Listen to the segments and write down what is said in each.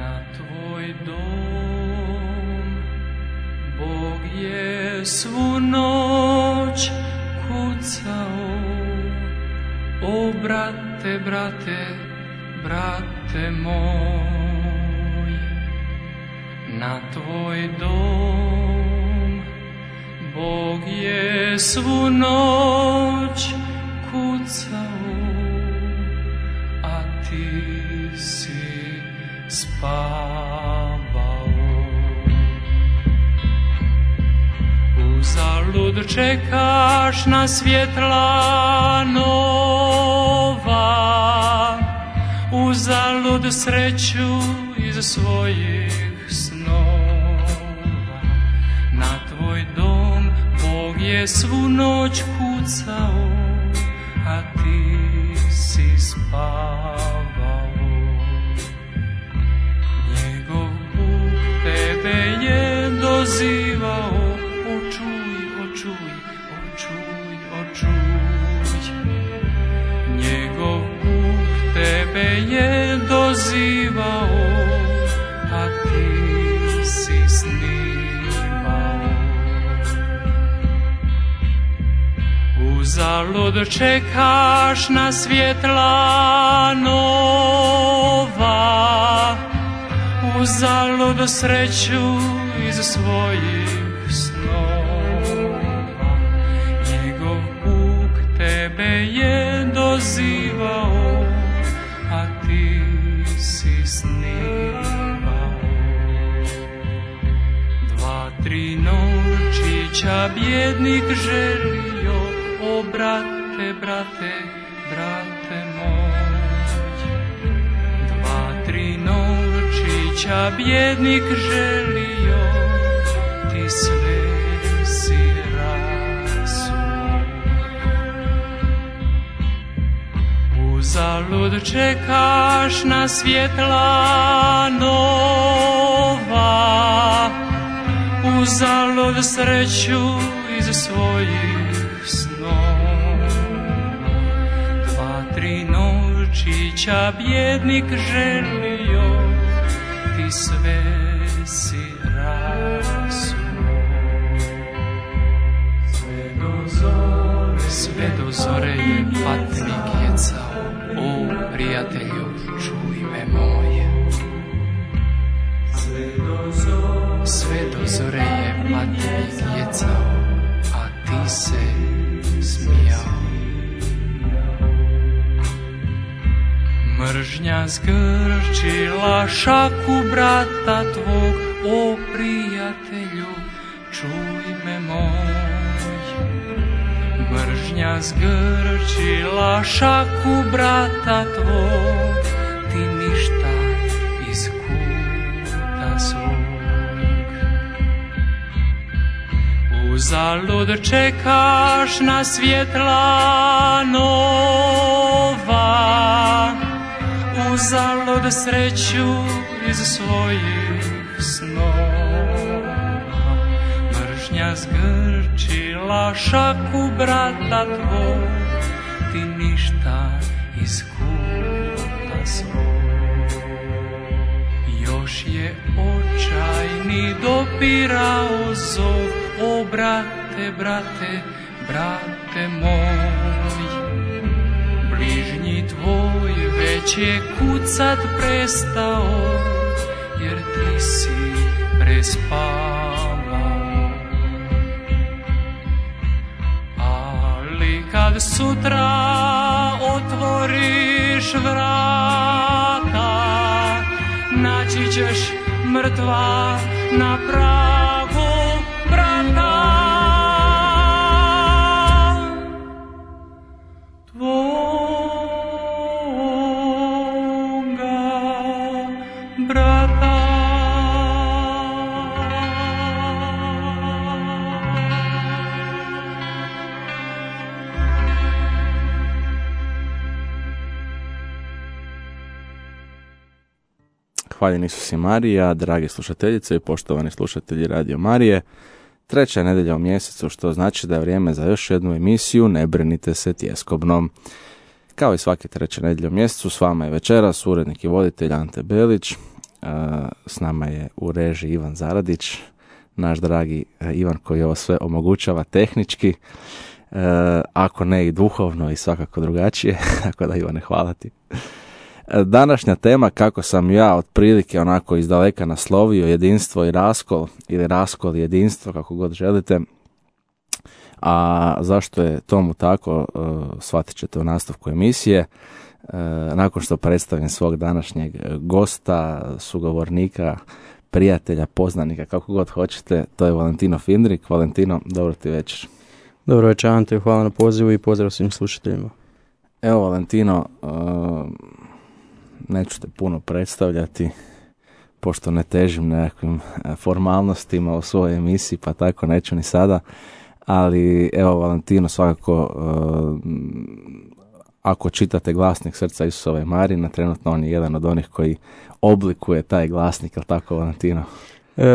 na tvoj dom. Bog je svu noć kucao, o brate, brate, brate moj, na tvoj dom. Bog je svu noć kucao, a ti si spavao. Uzalud čekaš na svjetla nova, uzalud sreću iz svojih snova. Na tvoj dom Bog je svu noć kucao, a ti si spavao. Njegov Bog tebe je dozivao, njegov Bog tebe je dozivao, a ti si snimao. Uzalud čekaš na svjetla nova, uzalud sreću iz svojih snova. Njegov Bog tebe je dozivao, a ti si snimao. 2-3 novčića bjednik želio, o brate, brate, brate moj. 2-3 novčića bjednik želio, ti sve si rasuo. Uzalud čekaš na svjetla nova, uzalud sreću iz svojih snova. 2-3 novčića bjednik želio, ti sve si rasuo. Sve do zore je patnik jecao, o prijatelju, čuj me moje. Sve do zore je patnik jecao, a ti se smijao. Mržnja zgrčila šaku brata tvog, o prijatelju, čuj me moj. Mržnja zgrčila šaku brata tvog, ti ništa iz kuta svog. Uzalud čekaš na svjetla nova, uzalud sreću iz svojih snova. Mržnja zgrčila šaku brata tvog, ti ništa iz kuta svog. Još je očajni dopirao zov, o brate, brate, brate moj. Bližnji tvoj već je kucat prestao, jer ti si prespavao. Ali kad sutra otvoriš vrata, naći ćeš mrtva na pragu vrata. Hvaljen Isus i Marija, dragi slušateljice i poštovani slušatelji Radio Marije. 3. nedjelja u mjesecu, što znači da je vrijeme za još jednu emisiju Ne brinite se tjeskobno. Kao i svake 3. nedjelje u mjesecu, s vama je večeras urednik i voditelj Ante Belić. S nama je u režiji Ivan Zaradić, naš dragi Ivan koji ovo sve omogućava tehnički, ako ne i duhovno i svakako drugačije, tako da Ivane, hvala ti. Današnja tema, kako sam ja otprilike onako izdaleka naslovio, jedinstvo i raskol, ili raskol i jedinstvo, kako god želite. A zašto je tomu tako, shvatit ćete u nastavku emisije. Nakon što predstavim svog današnjeg gosta, sugovornika, prijatelja, poznanika, kako god hoćete, to je Valentino Findrik. Valentino, dobro ti večer. Dobro večer, Ante, hvala na pozivu i pozdrav svim slušateljima. Evo, Valentino, neću te puno predstavljati, pošto ne težim nekakvim formalnostima u svojoj emisiji, pa tako neću ni sada, ali evo, Valentino, svakako, ako čitate glasnik Srca Isusove Marije, trenutno on je jedan od onih koji oblikuje taj glasnik, je li tako, Valentino?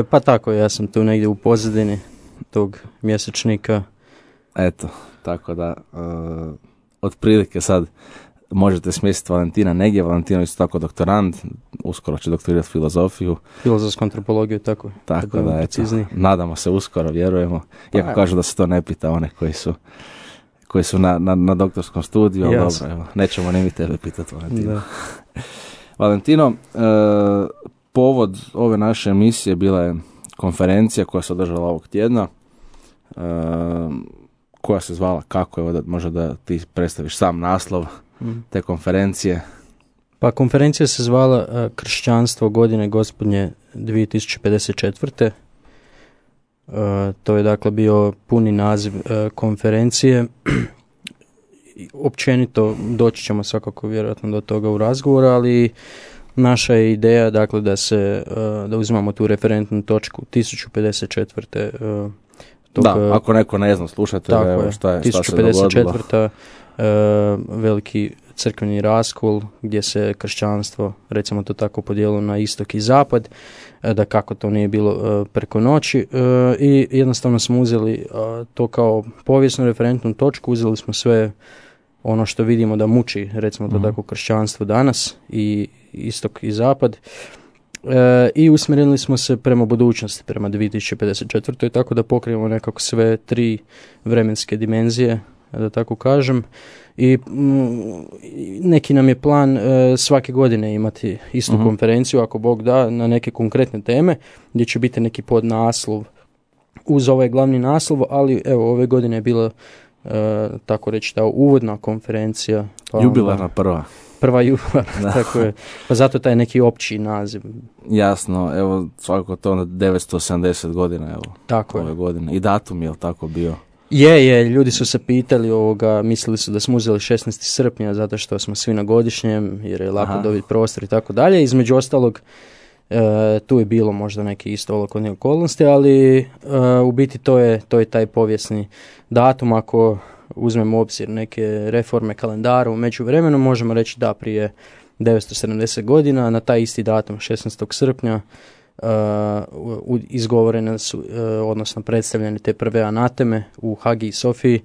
Pa tako, ja sam tu negdje u pozadini tog mjesečnika. Eto, tako da, otprilike sad možete smjestiti Valentina negdje. Valentino isto tako doktorand, uskoro će doktorirati filozofiju. Filozofsku antropologiju, tako. Tako da, eto, nadamo se uskoro, vjerujemo. Iako kažu da se to ne pita one koji su na doktorskom studiju, ali dobro, evo, nećemo ni mi tebe pitati, Valentino. Da. Valentino, povod ove naše emisije bila je konferencija koja se održala ovog tjedna, koja se zvala kako, evo, možda da ti predstaviš sam naslov te konferencije. Pa konferencija se zvala Kršćanstvo godine gospodnje 2054. To je dakle bio puni naziv konferencije. Općenito doći ćemo svakako vjerojatno do toga u razgovoru, ali naša je ideja dakle da uzimamo tu referentnu točku 1054. Da, ako neko ne zna, slušajte, evo šta se dogodilo. 1054. Veliki crkveni raskol gdje se kršćanstvo, recimo to tako, podijelilo na istok i zapad, da kako to nije bilo preko noći, i jednostavno smo uzeli to kao povijesnu referentnu točku, uzeli smo sve ono što vidimo da muči, recimo to tako, kršćanstvo danas, i istok i zapad, i usmjerili smo se prema budućnosti, prema 2054. tako da pokrijemo nekako sve tri vremenske dimenzije, da tako kažem, i neki nam je plan svake godine imati istu konferenciju, ako Bog da, na neke konkretne teme, gdje će biti neki podnaslov uz ovaj glavni naslov, ali evo, ove godine je bila tako reći ta uvodna konferencija. Pa jubilarna prva jubilarna, tako je. Pa zato taj neki opći naziv. Jasno, evo, svakako to na 970 godina, evo, tako ove godine. I datum je li tako bio? Je, ljudi su se pitali, mislili su da smo uzeli 16. srpnja zato što smo svi na godišnjem, jer je lako dobiti prostor i tako dalje. Između ostalog, tu je bilo možda neke isto olakotne okolnosti, ali u biti to je taj povijesni datum. Ako uzmemo u obzir neke reforme kalendara u međuvremenu, možemo reći da prije 970 godina, na taj isti datum, 16. srpnja, izgovorene su, odnosno predstavljene te prve anateme u Hagiji Sofiji,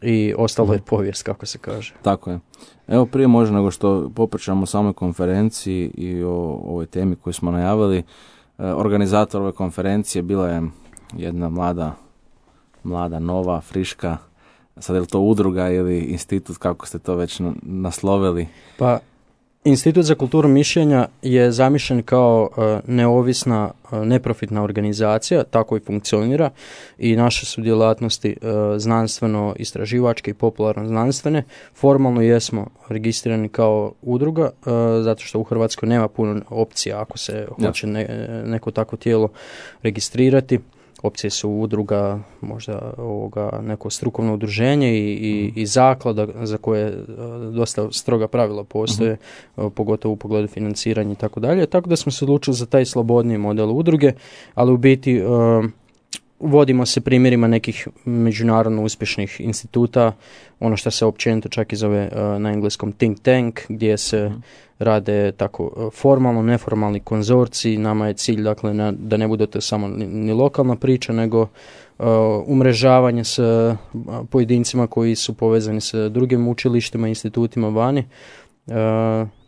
i ostalo je povijest, kako se kaže. Tako je. Evo, prije možda nego što popričamo o samoj konferenciji i o ovoj temi koju smo najavili, organizator ove konferencije bila je jedna mlada, nova, friška, sad je li to udruga ili institut, kako ste to već naslovili? Pa, Institut za kulturu mišljenja je zamišljen kao neovisna, neprofitna organizacija, tako i funkcionira, i naše su djelatnosti znanstveno-istraživačke i popularno-znanstvene. Formalno jesmo registrirani kao udruga, zato što u Hrvatskoj nema puno opcija ako se hoće neko takvo tijelo registrirati. Opcije su udruga, možda neko strukovno udruženje i zaklada za koje dosta stroga pravila postoje, pogotovo u pogledu financiranja i tako dalje. Tako da smo se odlučili za taj slobodniji model udruge, ali u biti vodimo se primjerima nekih međunarodno uspješnih instituta, ono što se općenito čak i zove na engleskom think tank, gdje se rade tako formalno, neformalni konzorciji. Nama je cilj, dakle, da ne bude to samo ni lokalna priča, nego umrežavanje s pojedincima koji su povezani sa drugim učilištima, institutima vani,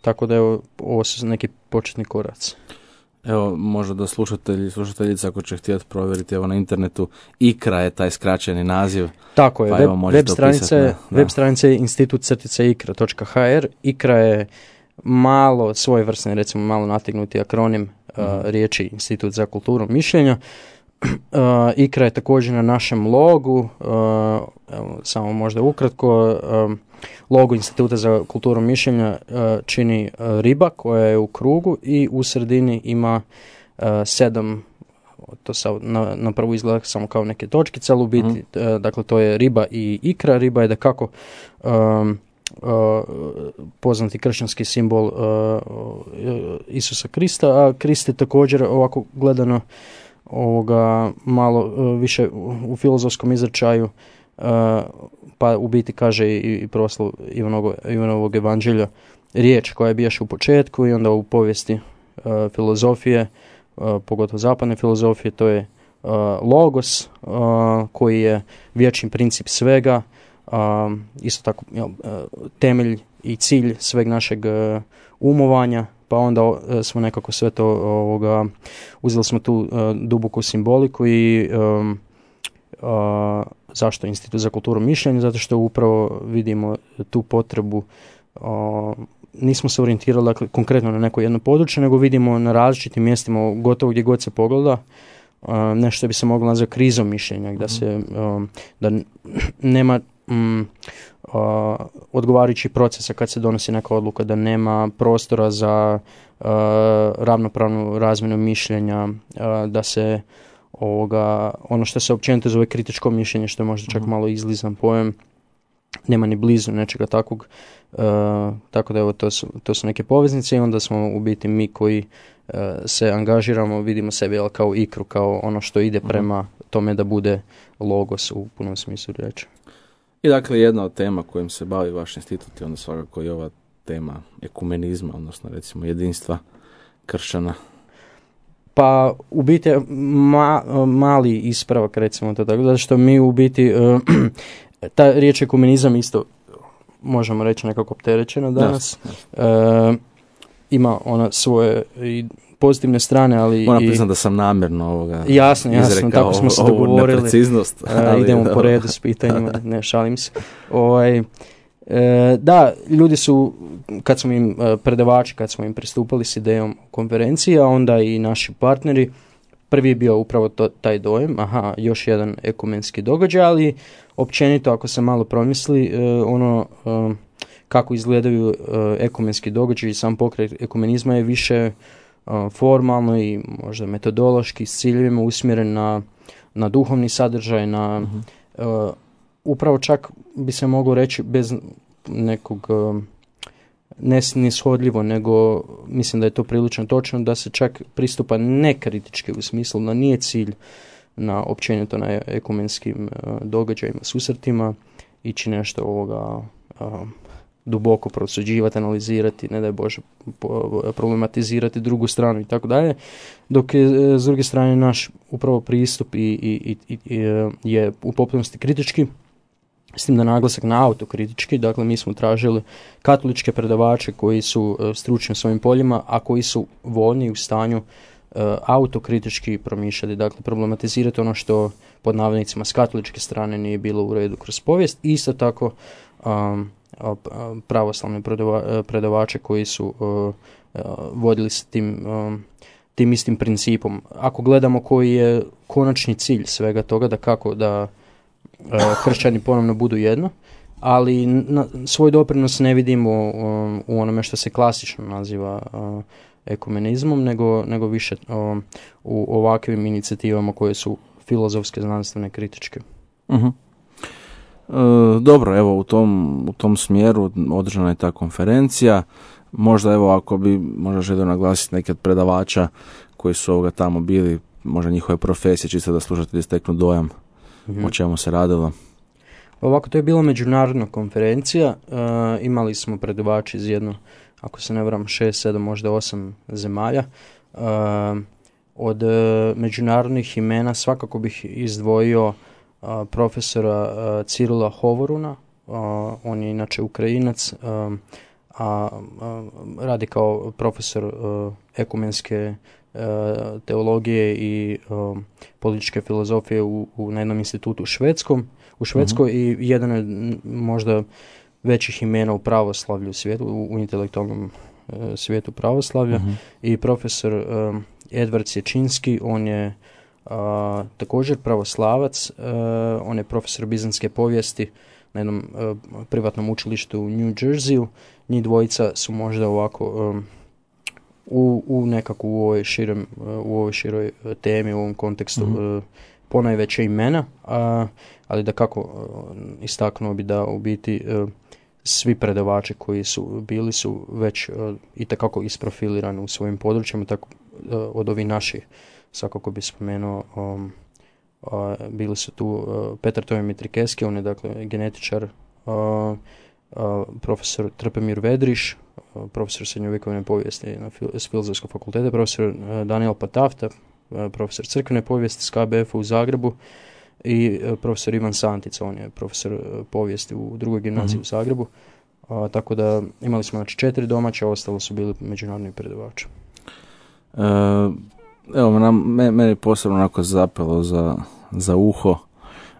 Tako da ovo su neki početni koraci. Evo, možda da slušateljica ako će htjeti provjeriti, evo na internetu, ICRA je taj skraćeni naziv. Tako je, pa web stranica je institut-icra.hr. ICRA je malo svojevrsni, recimo malo nategnuti akronim riječi Institut za kulturu mišljenja. ICRA je također na našem logu, samo možda ukratko, logo Instituta za kulturu mišljenja čini riba koja je u krugu i u sredini ima 7, to na prvu izgleda samo kao neke točkice, ali u biti, dakle to je riba i ikra. Riba je da kako poznati kršćanski simbol Isusa Krista, a Krist je također ovako gledano malo više u filozofskom izrečaju, pa u biti kaže i proslav Ivanovog evanđelja riječ koja je bijaš u početku, i onda u povijesti filozofije, pogotovo zapadne filozofije, to je logos koji je vječni princip svega, isto tako temelj i cilj sveg našeg umovanja, pa onda smo nekako sve to uzeli smo tu duboku simboliku i zašto Institut za kulturu mišljenja? Zato što upravo vidimo tu potrebu, nismo se orijentirali dakle, konkretno na neko jedno područje, nego vidimo na različitim mjestima, gotovo gdje god se pogleda, nešto bi se moglo nazvati krizom mišljenja, da nema odgovarajućih procesa kad se donosi neka odluka, da nema prostora za ravnopravnu razmjenu mišljenja, da se ono što se općenito zove kritičko mišljenje, što je možda čak malo izlizan pojam, nema ni blizu nečega takvog, tako da evo to su neke poveznice, i onda smo u biti mi koji se angažiramo, vidimo sebe kao ikru, kao ono što ide prema tome da bude logos u punom smislu riječi. I dakle jedna od tema kojim se bavi vaš institut je onda svakako i ova tema ekumenizma, odnosno recimo jedinstva kršćana. Pa u biti mali ispravak, recimo to tako, zato što mi u biti ta riječ ekumenizam isto možemo reći nekako opterećena danas. Ima ona svoje i pozitivne strane, ali moram priznati da sam namjerno jasno, tako smo se dogovorili. Nepreciznost. Idemo po redu s pitanjima, ne šalim se. Da, ljudi su, kad smo im predavači, kad smo im pristupali s idejom konferencije, a onda i naši partneri, prvi je bio upravo taj dojem, još jedan ekumenski događaj, ali općenito ako se malo promisli, kako izgledaju ekumenski događaj i sam pokret ekumenizma je više formalno i možda metodološki s ciljevima usmjeren na duhovni sadržaj, na upravo čak bi se moglo reći bez nekog neshodljivo, nego mislim da je to prilično točno, da se čak pristupa nekritički u smislu da nije cilj na općenito na ekumenskim događajima, susretima, ići nešto duboko prosuđivati, analizirati, ne daj Bože problematizirati drugu stranu i tako dalje, dok je s druge strane naš upravo pristup je u potpunosti kritički, s tim da naglasak na autokritički. Dakle, mi smo tražili katoličke predavače koji su stručni u svojim poljima, a koji su voljni u stanju autokritički promišljati, dakle problematizirati ono što pod navodnicima s katoličke strane nije bilo u redu kroz povijest. Isto tako pravoslavne predavače koji su vodili se tim istim principom. Ako gledamo koji je konačni cilj svega toga, da kako da kršćani ponovno budu jedno, ali svoj doprinos ne vidimo u onome što se klasično naziva ekumenizmom, nego više u ovakvim inicijativama koje su filozofske, znanstvene, kritičke. Dobro, evo u tom smjeru održana je ta konferencija. Možda evo ako bi možda želio naglasiti neke od predavača koji su tamo bili, možda njihove profesije, čisto da slušatelji steknu dojam o čemu se radilo. Ovako, to je bila međunarodna konferencija, imali smo predavači iz ako se ne varam, 6, 7, možda 8 zemalja. Od međunarodnih imena svakako bih izdvojio profesora Cirila Hovoruna, on je inače Ukrajinac, a radi kao profesor ekumenske teologije i političke filozofije na jednom institutu u Švedskoj i jedan je možda većih imena u pravoslavlju u svijetu, u intelektualnom svijetu pravoslavlja i profesor Edvard Sječinski, on je također pravoslavac, on je profesor bizantske povijesti na jednom privatnom učilištu u New Jerseyu. Njih dvojica su možda ovako u nekako u ovoj široj temi, u ovom kontekstu ponajveća imena, ali da kako istaknuo bi da u biti svi predavači koji su bili su već itekako isprofilirani u svojim područjima, tako od ovih naših svakako bi spomenuo bili su tu Petar Toje Mitrikeski, on je dakle genetičar, profesor Trpemir Vedriš, profesor srednjovjekovne povijesti s Filozofskog fakulteta, profesor Daniel Patafta, profesor crkvene povijesti s KBF u Zagrebu i profesor Ivan Santica, on je profesor povijesti u drugoj gimnaziji u Zagrebu. Tako da imali smo znači 4 domaće, ostalo su bili međunarodni predavači. Evo, meni posebno onako zapelo za uho,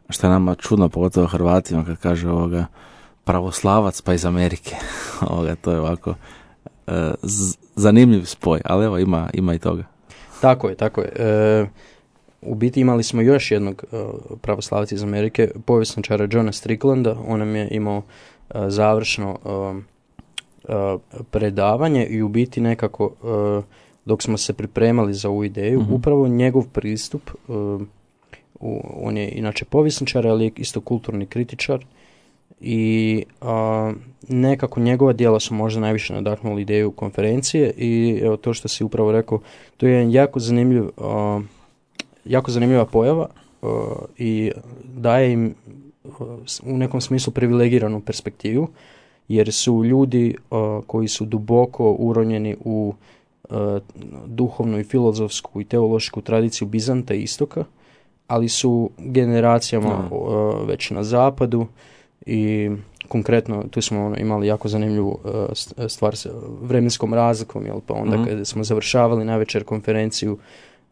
što je nama čudno, pogotovo Hrvatima, kad kaže pravoslavac pa iz Amerike. To je ovako zanimljiv spoj, ali evo ima i toga. Tako je. U biti imali smo još jednog pravoslavca iz Amerike, povjesničara Johna Stricklanda. On nam je imao završno predavanje i u biti nekako dok smo se pripremali za ovu ideju, upravo njegov pristup, on je inače povjesničar, ali je isto kulturni kritičar i nekako njegova djela su možda najviše nadahnuli ideju konferencije i evo to što si upravo rekao, to je jako zanimljiva pojava i daje im u nekom smislu privilegiranu perspektivu, jer su ljudi koji su duboko uronjeni u duhovnu i filozofsku i teološku tradiciju Bizanta i Istoka, ali su generacijama već na zapadu i konkretno tu smo imali jako zanimljivu stvar sa vremenskom razlikom, pa onda kada smo završavali navečer konferenciju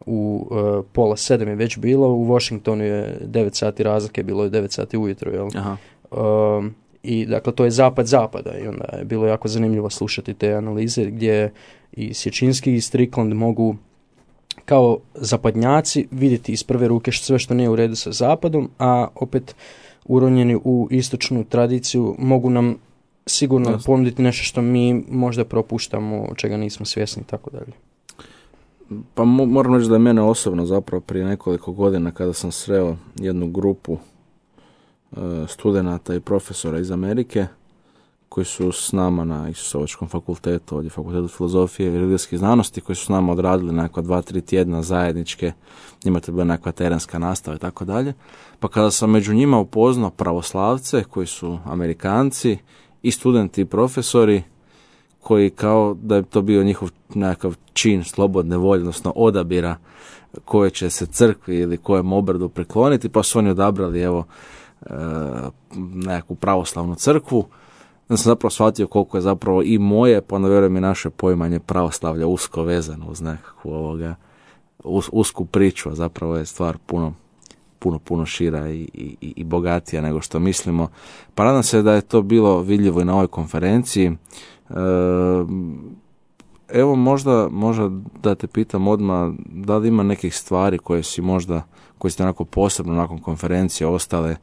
u 6:30 je već bilo, u Washingtonu je 9 sati razlike, bilo je 9 sati ujutro, i dakle to je zapad zapada i onda je bilo jako zanimljivo slušati te analize gdje i Sječinski i Strickland mogu kao zapadnjaci vidjeti iz prve ruke sve što nije u redu sa zapadom, a opet uronjeni u istočnu tradiciju mogu nam sigurno ponuditi nešto što mi možda propuštamo, čega nismo svjesni i tako dalje. Pa moram reći da je mene osobno zapravo prije nekoliko godina kada sam sreo jednu grupu studenata i profesora iz Amerike koji su s nama na Isusovačkom fakultetu, ovdje Fakultetu filozofije i religijskih znanosti, koji su s nama odradili nekakva 2-3 tjedna zajedničke, njima to je bila nekakva terenska nastava i tako dalje. Pa kada sam među njima upoznao pravoslavce koji su Amerikanci i studenti i profesori koji kao da je to bio njihov nekakav čin slobodne volje, odnosno odabira koje će se crkvi ili kojem obradu prikloniti, pa su oni odabrali nekakvu pravoslavnu crkvu. Da sam zapravo shvatio koliko je zapravo i moje, pa onda vjerujem i naše poimanje pravoslavlja usko vezano uz nekakvu usku priču, a zapravo je stvar puno šira i bogatija nego što mislimo. Pa nadam se da je to bilo vidljivo i na ovoj konferenciji. Evo možda da te pitam odmah, da li ima nekih stvari koje ste onako posebno nakon konferencije ostale,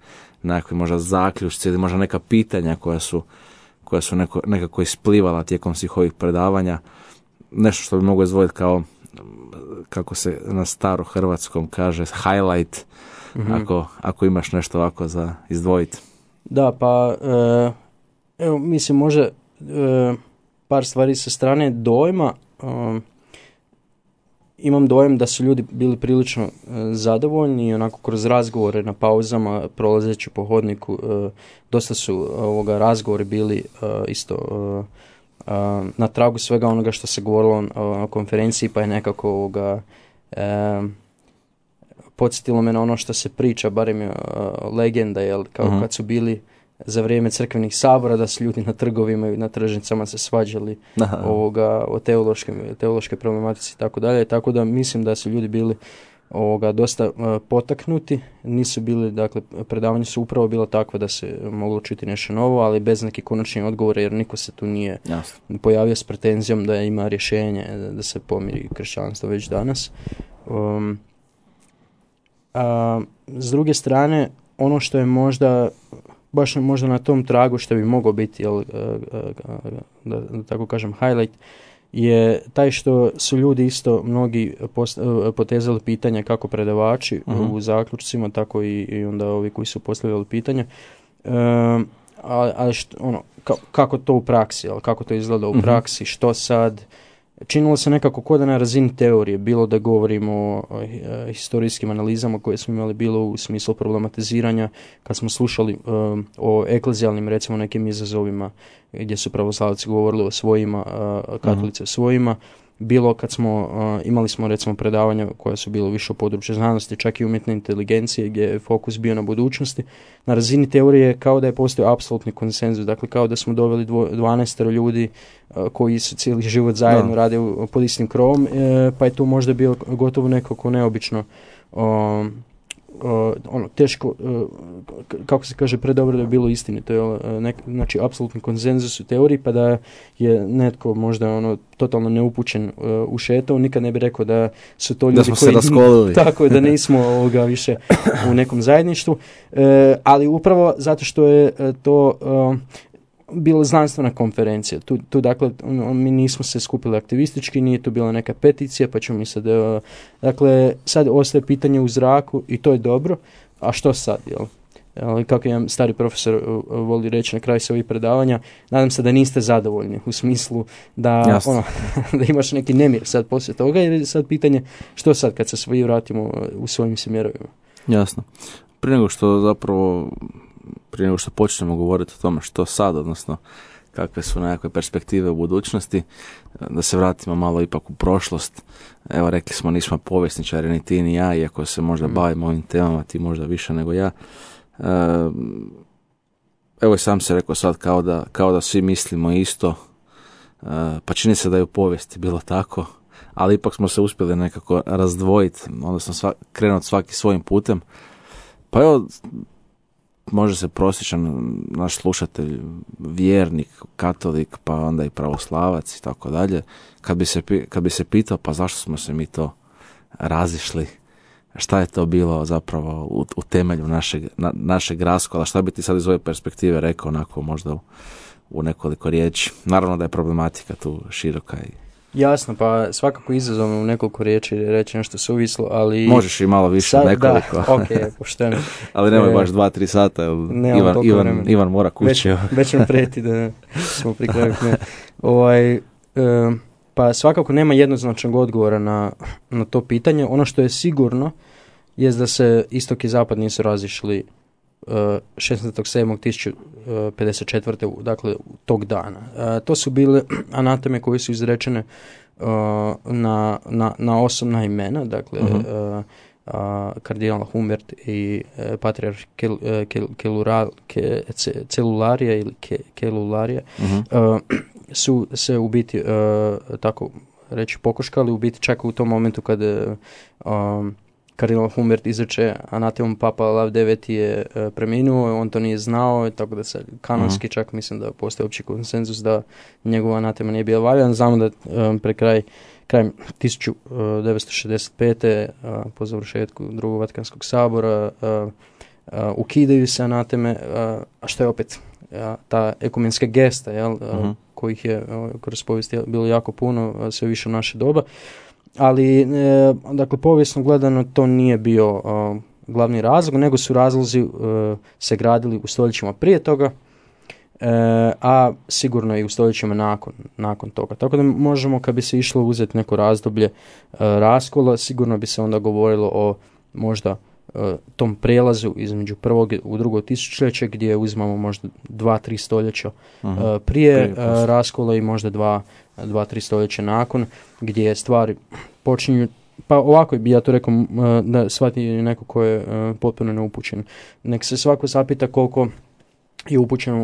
nekakvi možda zaključci ili možda neka pitanja koja su nekako isplivala tijekom svih ovih predavanja, nešto što bi moglo izdvojiti kao, kako se na starohrvatskom kaže, highlight, ako imaš nešto ovako za izdvojiti. Da, pa evo mislim možda par stvari sa strane dojma. Imam dojam da su ljudi bili prilično zadovoljni i onako kroz razgovore na pauzama, prolazeći po hodniku, dosta su razgovori bili isto na tragu svega onoga što se govorilo na konferenciji, pa je nekako podsjetilo me na ono što se priča, barem je legenda, jel, kao kad su bili za vrijeme crkvenih sabora, da su ljudi na trgovima i na tržnicama se svađali o teološke problematici i tako dalje. Tako da mislim da su ljudi bili dosta potaknuti, nisu bili, dakle, predavanje su upravo bilo takvo da se moglo čuti nešto novo, ali bez nekih konačnih odgovora, jer niko se tu nije pojavio s pretenzijom da ima rješenje da se pomiri kršćanstvo već danas. S druge strane, ono što je baš možda na tom tragu što bi moglo biti, da tako kažem, highlight, je taj što su ljudi isto mnogi potezali pitanja kako predavači u zaključcima, tako i onda ovi koji su postavljali pitanja, kako to u praksi, kako to izgleda u praksi, što sad. Činilo se nekako kod na razini teorije, bilo da govorimo o historijskim analizama koje smo imali, bilo u smislu problematiziranja, kad smo slušali o eklezijalnim, recimo, nekim izazovima gdje su pravoslavci govorili o svojima, katolici o svojima, bilo kad imali smo recimo predavanja koja su bilo više u području znanosti, čak i umjetne inteligencije, gdje je fokus bio na budućnosti. Na razini teorije kao da je postojao apsolutni konsenzus, dakle kao da smo doveli 12 ljudi koji su cijeli život zajedno rade pod istim krovom, pa je tu možda bilo gotovo nekako neobično, teško, kako se kaže, predobro da je bilo istinito, znači apsolutni konsenzus u teoriji, pa da je netko možda totalno neupućen ušetao, nikad ne bi rekao da su to ljudi da smo se raskolili. Tako je, da nismo više u nekom zajedništvu, ali upravo zato što je to bila znanstvena konferencija. Tu dakle, mi nismo se skupili aktivistički, nije tu bila neka peticija, pa ćemo mi sad, dakle, sad ostaje pitanje u zraku i to je dobro, a što sad, jel? Kako jedan stari profesor voli reći na kraju svojih predavanja, nadam se da niste zadovoljni, u smislu da, da imaš neki nemir sad poslije toga, jer je sad pitanje što sad kad se svi vratimo u svojim smjerovima. Jasno. Prije nego što počnemo govoriti o tome što sad, odnosno kakve su nekakve perspektive u budućnosti, da se vratimo malo ipak u prošlost. Evo, rekli smo, nismo povjesničari, ni ti ni ja, iako se možda bavimo ovim temama, ti možda više nego ja. Evo, i sam se rekao sad kao da svi mislimo isto, pa čini se da je u povijesti bilo tako, ali ipak smo se uspjeli nekako razdvojiti, odnosno krenuti svaki svojim putem. Pa evo, može se prosječan naš slušatelj, vjernik, katolik, pa onda i pravoslavac i tako dalje, kad bi se pitao, pa zašto smo se mi to razišli, šta je to bilo zapravo u temelju našeg raskola, šta bi ti sad iz ove perspektive rekao, onako možda u nekoliko riječi. Naravno da je problematika tu široka i... Jasno, pa svakako izazovno u nekoliko riječi reći nešto suvislo, ali... Možeš i malo više, nekoliko. Da, ok, pošteno. Ali nemoj baš 2-3 sata, Ivan mora kući. Već nam preti da smo pri kraju. Pa svakako nema jednoznačnog odgovora na to pitanje. Ono što je sigurno je da se istok i zapad nisu razišli 16.7.1054. dakle tog dana. To su bile anateme koje su izrečene na osobna imena, dakle kardinal Humbert i patrijarh Celularija ili Kelularija su se u biti tako reći pokoškali, u biti čak u tom momentu kad kardinal Humbert izreče anatemom, Papa Lav IX je preminuo, on to nije znao, tako da se kanonski čak mislim da postoji opći konsenzus da njegova anatema nije bila valjan. Znamo da krajem 1965. po završetku drugog Vatikanskog sabora ukidaju se anateme, a što je opet ta ekumenska gesta, kojih je kroz povijest bilo jako puno, sve više u naše doba. Ali, dakle, povijesno gledano to nije bio glavni razlog, nego su razlozi se gradili u stoljećima prije toga, a sigurno i u stoljećima nakon toga. Tako da možemo, kad bi se išlo uzeti neko razdoblje raskola, sigurno bi se onda govorilo o možda tom prijelazu između prvog u drugo tisućljeće, gdje uzmamo možda 2-3 stoljeća prije raskola i možda 2-3 stoljeća nakon, gdje stvari počinju, pa ovako bi ja to rekao, da shvati neko ko je potpuno neupućen. Nek se svako zapita koliko je upućen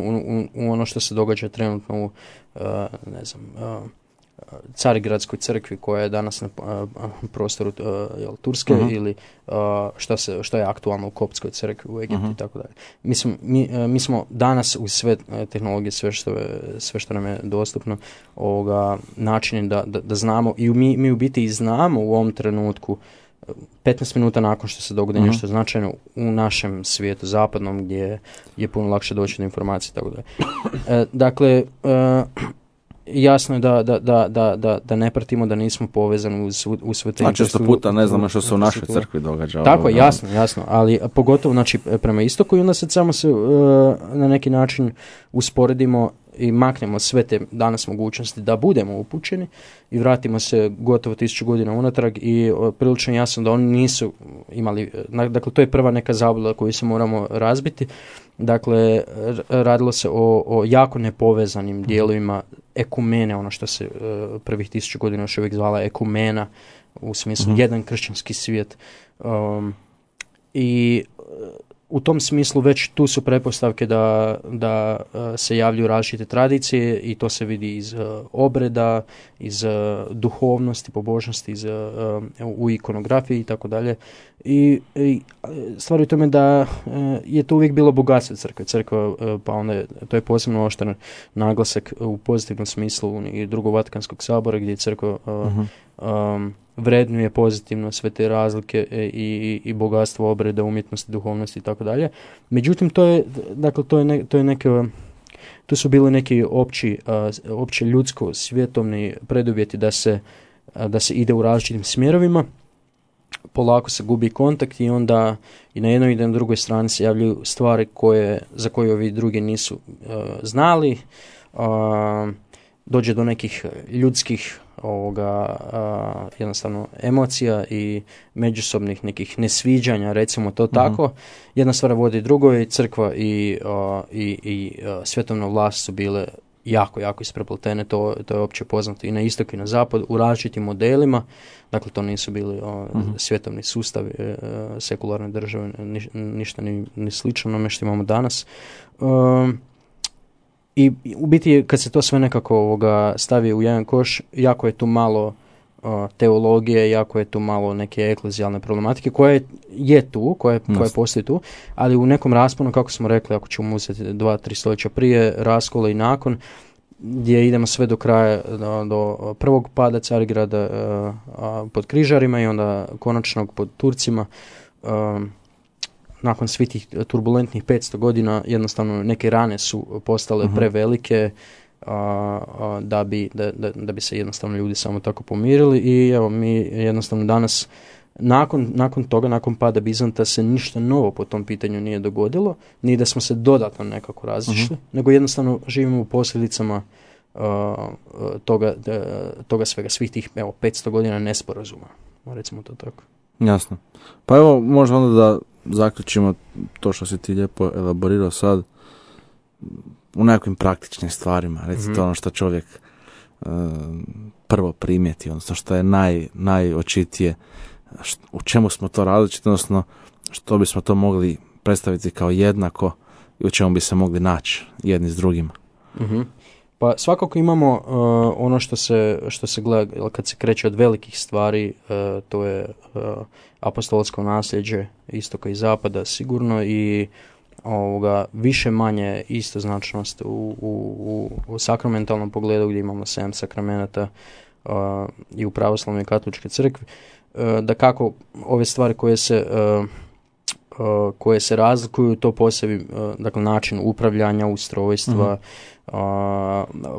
u ono što se događa trenutno u Carigradskoj crkvi koja je danas na prostoru Turske ili što je aktualno u Koptskoj crkvi u Egiptu i tako dalje. Mislim, mi smo danas uz sve tehnologije, sve što nam je dostupno, načini da znamo i mi u biti i znamo u ovom trenutku 15 minuta nakon što se dogodi nešto značajno u našem svijetu zapadnom gdje je puno lakše doći do informacije i tako dalje. Dakle, jasno je da ne pratimo, da nismo povezani uz sve te... Znači, često puta ne znamo što se u našoj crkvi događa. Tako, jasno, ali pogotovo znači, prema istoku i onda sad samo se na neki način usporedimo i maknemo sve te danas mogućnosti da budemo upućeni i vratimo se gotovo 1000 godina unatrag i prilično jasno da oni nisu imali, dakle to je prva neka zabluda koju se moramo razbiti. Dakle, radilo se o jako nepovezanim dijelovima ekumene, ono što se prvih 1000 godina još uvijek zvala ekumena, u smislu jedan kršćanski svijet. I u tom smislu već tu su pretpostavke da se javljaju različite tradicije i to se vidi iz obreda, iz duhovnosti, pobožnosti, u ikonografiji i tako dalje. I stvar je u tome da je to uvijek bilo bogatstvo crkve. Crkva, pa onda to je posebno oštar naglasak u pozitivnom smislu i Drugog Vatikanskog sabora gdje je crkva vrednuje pozitivno sve te razlike i bogatstvo obreda, umjetnosti, duhovnosti i tako dalje. Međutim, to su bili neki opći ljudsko svjetovni preduvjeti da se ide u različitim smjerovima. Polako se gubi kontakt i onda i na jednoj i na drugoj strani se javljaju stvari za koje ovi drugi nisu znali. Dođe do nekih ljudskih jednostavno emocija i međusobnih nekih nesviđanja, recimo to tako. Jedna stvar vodi drugoj, crkva i svjetovna vlast su bile jako isprepletene, to je opće poznato i na istok i na zapad u različitim modelima. Dakle, to nisu bili svjetovni sustavi, sekularne države, ništa ni slično onome što imamo danas. I u biti kad se to sve nekako stavi u jedan koš, jako je tu malo teologije, jako je tu malo neke eklezijalne problematike koja postoji tu, ali u nekom rasponu, kako smo rekli, ako ćemo uzeti 2-3 stoljeća prije, raskola i nakon, gdje idemo sve do kraja, do prvog pada Carigrada pod križarima i onda konačnog pod Turcima. Nakon svih tih turbulentnih 500 godina jednostavno neke rane su postale prevelike da bi se jednostavno ljudi samo tako pomirili i evo mi jednostavno danas nakon toga, nakon pada Bizanta se ništa novo po tom pitanju nije dogodilo, ni da smo se dodatno nekako razišli, nego jednostavno živimo u posljedicama toga svega, svih tih 500 godina nesporazuma, recimo to tako. Jasno. Pa evo, možda onda da zaključimo to što si ti lijepo elaborirao sad u nekakvim praktičnim stvarima. Recite ono što čovjek prvo primijeti, odnosno što je najočitije, u čemu smo to različiti, odnosno što bismo to mogli predstaviti kao jednako i u čemu bi se mogli naći jedni s drugima. Pa svakako imamo ono što se gleda kad se kreće od velikih stvari, to je apostolsko nasljeđe istoka i zapada sigurno i više manje istoznačnost u sakramentalnom pogledu gdje imamo 7 sakramenata i u pravoslavnoj i katoličkoj crkvi. Da kako ove stvari koje se razlikuju, to posebi, dakle način upravljanja, ustrojstva,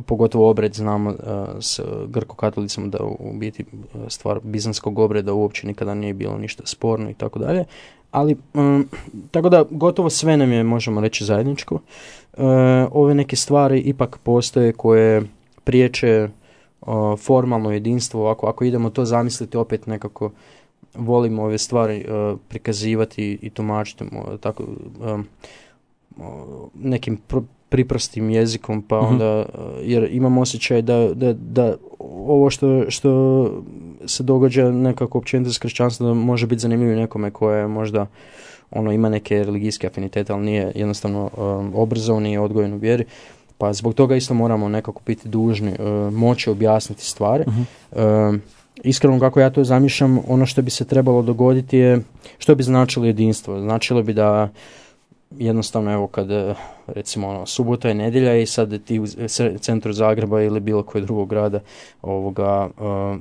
pogotovo obred, znamo s grko-katolicima da u biti stvar bizanskog obreda uopće nikada nije bilo ništa sporno i tako dalje, ali tako da gotovo sve nam je, možemo reći, zajedničko. Ove neke stvari ipak postoje koje priječe formalno jedinstvo, ako idemo to zamisliti opet nekako volimo ove stvari prikazivati i tumačiti tako nekim priprostim jezikom, pa onda jer imam osjećaj da ovo što se događa nekako općenito s kršćanstvom može biti zanimljivo nekome koje je možda ima neke religijske afinitete, ali nije jednostavno obrazovan, nije odgojen u vjeri. Pa zbog toga isto moramo nekako biti dužni moći objasniti stvari. Iskreno kako ja to zamišljam, ono što bi se trebalo dogoditi je, što bi značilo jedinstvo? Značilo bi da jednostavno, evo, kad recimo subota je nedjelja i sad ti u centru Zagreba ili bilo kojeg drugog grada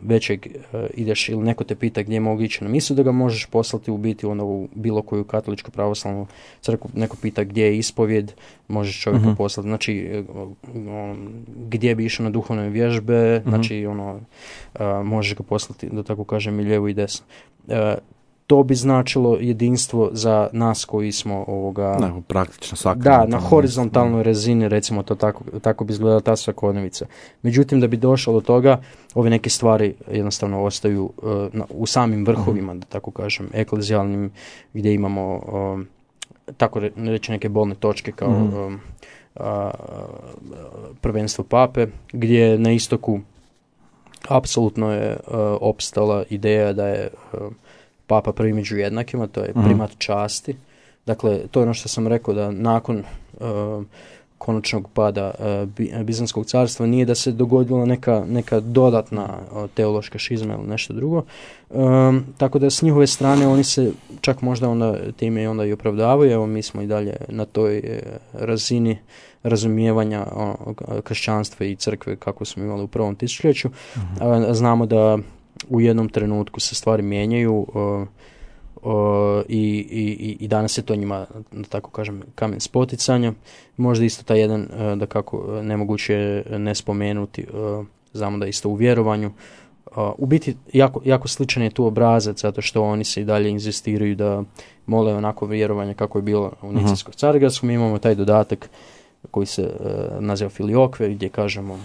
većeg ideš ili neko te pita gdje mogu ići na misu, da ga možeš poslati u biti u bilo koju katoličku pravoslavnu crkvu, neko pita gdje je ispovjed, možeš čovjeka poslati, znači gdje bi išao na duhovne vježbe, znači možeš ga poslati, da tako kažem, i lijevo i desno. To bi značilo jedinstvo za nas koji smo praktično svaka. Da, na horizontalnoj razini, recimo to tako bi izgledala ta svakodnevica. Međutim, da bi došlo do toga, ove neke stvari jednostavno ostaju u samim vrhovima, da tako kažem, eklezijalnim, gdje imamo tako reći neke bolne točke kao prvenstvo pape, gdje na istoku apsolutno je opstala ideja da je Papa prvi među jednakima, to je primat časti. Dakle, to je ono što sam rekao, da nakon konačnog pada Bizanskog carstva nije da se dogodila neka dodatna teološka šizma ili nešto drugo. Tako da s njihove strane oni se čak možda onda time onda i opravdavaju. Evo, mi smo i dalje na toj razini razumijevanja kršćanstva i crkve kako smo imali u prvom tisućljeću. Znamo da u jednom trenutku se stvari mijenjaju i danas je to njima, da tako kažem, kamen spoticanja. Možda isto taj jedan, da kako nemoguće ne spomenuti, znamo da isto u vjerovanju. U biti jako sličan je tu obrazac, zato što oni se i dalje inzistiraju da mole onako vjerovanje kako je bilo u Nicijskom Carigradskom. Mi imamo taj dodatak koji se naziva Filiokve, gdje kažemo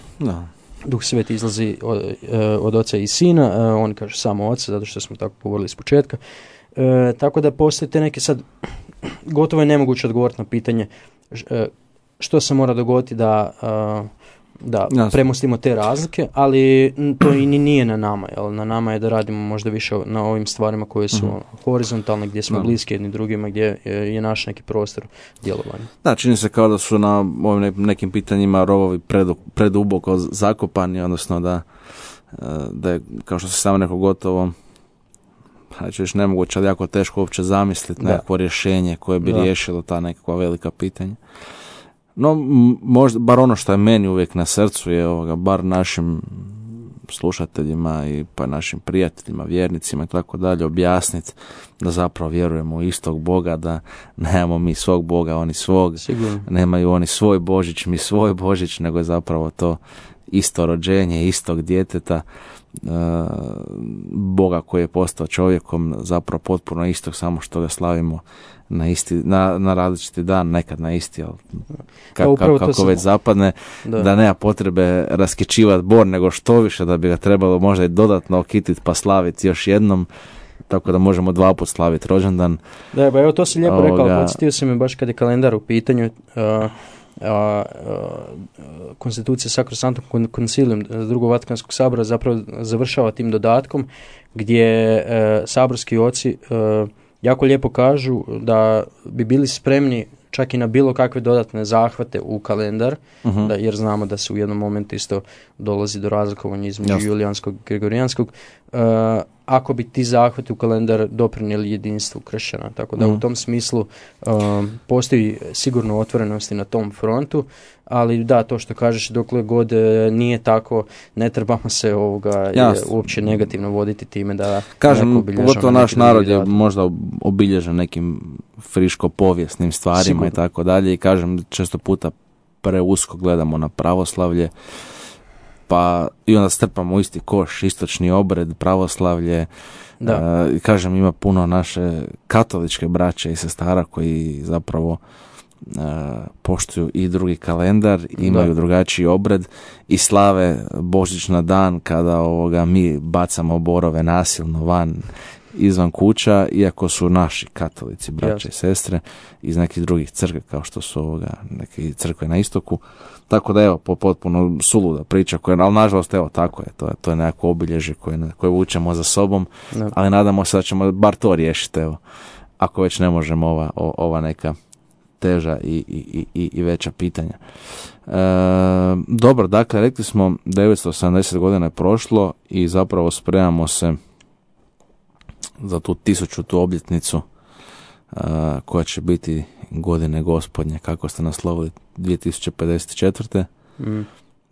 Duh Sveti izlazi od Oca i Sina, oni kažu samo Oca, zato što smo tako govorili iz početka. Tako da postoje te neke, sad gotovo je nemoguće odgovoriti na pitanje što se mora dogoditi da premostimo te razlike, ali to i nije na nama. Jel? Na nama je da radimo možda više na ovim stvarima koje su horizontalne, gdje smo bliski jedni drugima, gdje je naš neki prostor djelovanja. Da, čini se kao da su na ovim nekim pitanjima rovovi preduboko zakopani, odnosno da je, kao što se samo neko gotovo, znači još nemoguće, ali jako teško uopće zamisliti nekakvo rješenje koje bi riješilo ta nekakva velika pitanja. No, možda, bar ono što je meni uvijek na srcu je bar našim slušateljima i pa našim prijateljima, vjernicima i tako dalje objasniti da zapravo vjerujemo u istog Boga, da nemamo mi svog Boga, oni svog, nemaju oni svoj Božić, mi svoj Božić, nego je zapravo to isto rođenje, istog djeteta, Boga koji je postao čovjekom, zapravo potpuno istog, samo što ga slavimo na različiti dan, nekad na isti, ali kako već zapadne, da nema potrebe raskičivati bor, nego što više, da bi ga trebalo možda i dodatno okititi pa slaviti još jednom, tako da možemo 2 puta slaviti rođendan. Da, evo to si lijepo rekao, podsjetio si me baš kad je kalendar u pitanju, konstitucija Sacrosanctum Concilium Drugog Vatikanskog sabora zapravo završava tim dodatkom gdje saborski oci jako lijepo kažu da bi bili spremni čak i na bilo kakve dodatne zahvate u kalendar, jer znamo da se u jednom momentu isto dolazi do razlikovanja između julijanskog i gregorijanskog, ako bi ti zahvati u kalendar doprinijeli jedinstvu kršćana. Tako da u tom smislu postoji sigurno otvorenosti na tom frontu, ali da, to što kažeš, dokle god nije tako, ne trebamo se uopće negativno voditi time da kažem, pogotovo naš narod je možda obilježen nekim friško-povijesnim stvarima i tako dalje, i kažem, često puta preusko gledamo na pravoslavlje, pa i onda strpamo u isti koš istočni obred, pravoslavlje. Kažem, ima puno naše katoličke braće i sestara koji zapravo poštuju i drugi kalendar, imaju drugačiji obred i slave Božić na dan kada mi bacamo borove nasilno van izvan kuća, iako su naši katolici, braće i sestre iz nekih drugih crkve, kao što su neke crkve na istoku. Tako da, evo, potpuno suluda priča, ali nažalost, evo, tako je, to je nekako obilježje koje vučemo za sobom, ali nadamo se da ćemo bar to riješiti, evo. ako već ne možemo ova neka teža i veća pitanja. Dobro, dakle, rekli smo 970 godina je prošlo i zapravo spremamo se za tu 1000. obljetnicu koja će biti godine gospodnje, kako ste naslovili, 2054.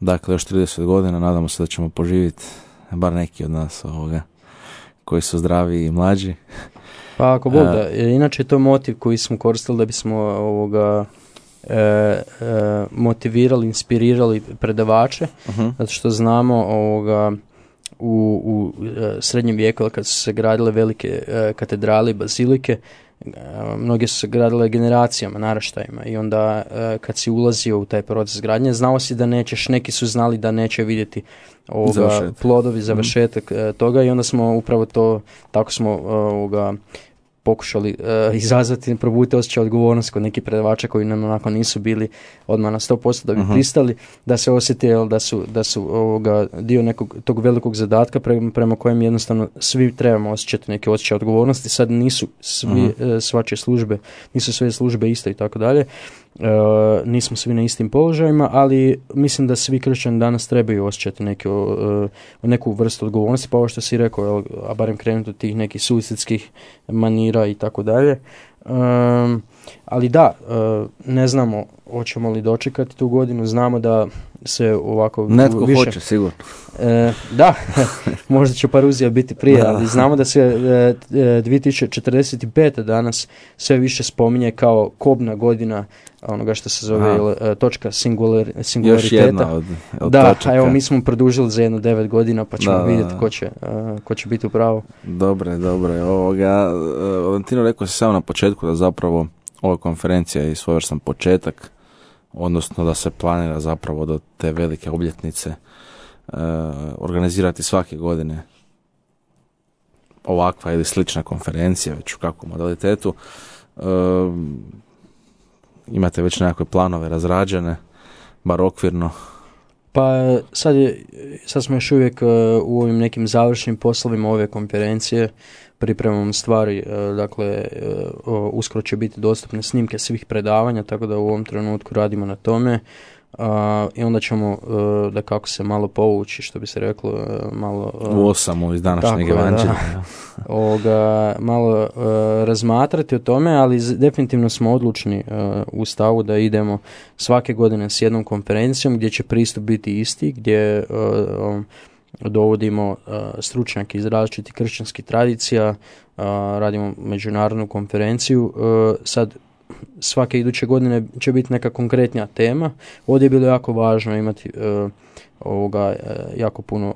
Dakle, još 30 godina, nadamo se da ćemo poživjeti, bar neki od nas koji su zdravi i mlađi. Pa ako Bog da, inače je to motiv koji smo koristili da bismo motivirali, inspirirali predavače, zato što znamo u srednjem vijeku kad su se gradile velike katedrale i bazilike, mnoge su se gradile generacijama, naraštajima i onda kad si ulazio u taj proces gradnje, znao si da nećeš, neki su znali da neće vidjeti plodovi, završetak toga i onda smo upravo to, tako smo pokušali izazvati, probuditi osjećaj odgovornosti kod nekih predavača koji nam onako nisu bili odmah na 100% da bi pristali, da se osjeti da su dio nekog tog velikog zadatka prema kojem jednostavno svi trebamo osjećati neke osjećaje odgovornosti. Sad nisu svačije službe, nisu sve službe isto i tako dalje. Nismo svi na istim položajima, ali mislim da svi kršćani danas trebaju osjećati neku vrstu odgovornosti, pa ovo što si rekao, a barem krenuti od tih nekih suicidskih manira i tako dalje. Ali da, ne znamo hoćemo li dočekati tu godinu, znamo da se ovako netko više hoće sigurno. Da, možda će paruzija biti prije, ali znamo da se 2045. danas sve više spominje kao kobna godina onoga što se zove točka singulariteta. Još jedna od da, točaka. Evo mi smo produžili za 9 godina pa ćemo vidjeti ko će biti u pravu. Dobre. Valentino, rekao si samo na početku da zapravo ova konferencija je svojevrstan početak, odnosno da se planira zapravo do te velike obljetnice organizirati svake godine ovakva ili slična konferencija, već u kakvom modalitetu. Imate već nekakve planove razrađene, bar okvirno? Pa sad smo još uvijek u ovim nekim završnim poslovima ove konferencije, pripremamo stvari, dakle uskoro će biti dostupne snimke svih predavanja, tako da u ovom trenutku radimo na tome i onda ćemo da kako se malo povući, što bi se reklo, malo u osamu iz današnjeg evanđelja. Malo razmatrati o tome, ali definitivno smo odlučni u stavu da idemo svake godine s jednom konferencijom gdje će pristup biti isti, gdje dovodimo stručnjake iz različitih kršćanskih tradicija, radimo međunarodnu konferenciju. Sad svake iduće godine će biti neka konkretnija tema. Ovdje je bilo jako važno imati jako puno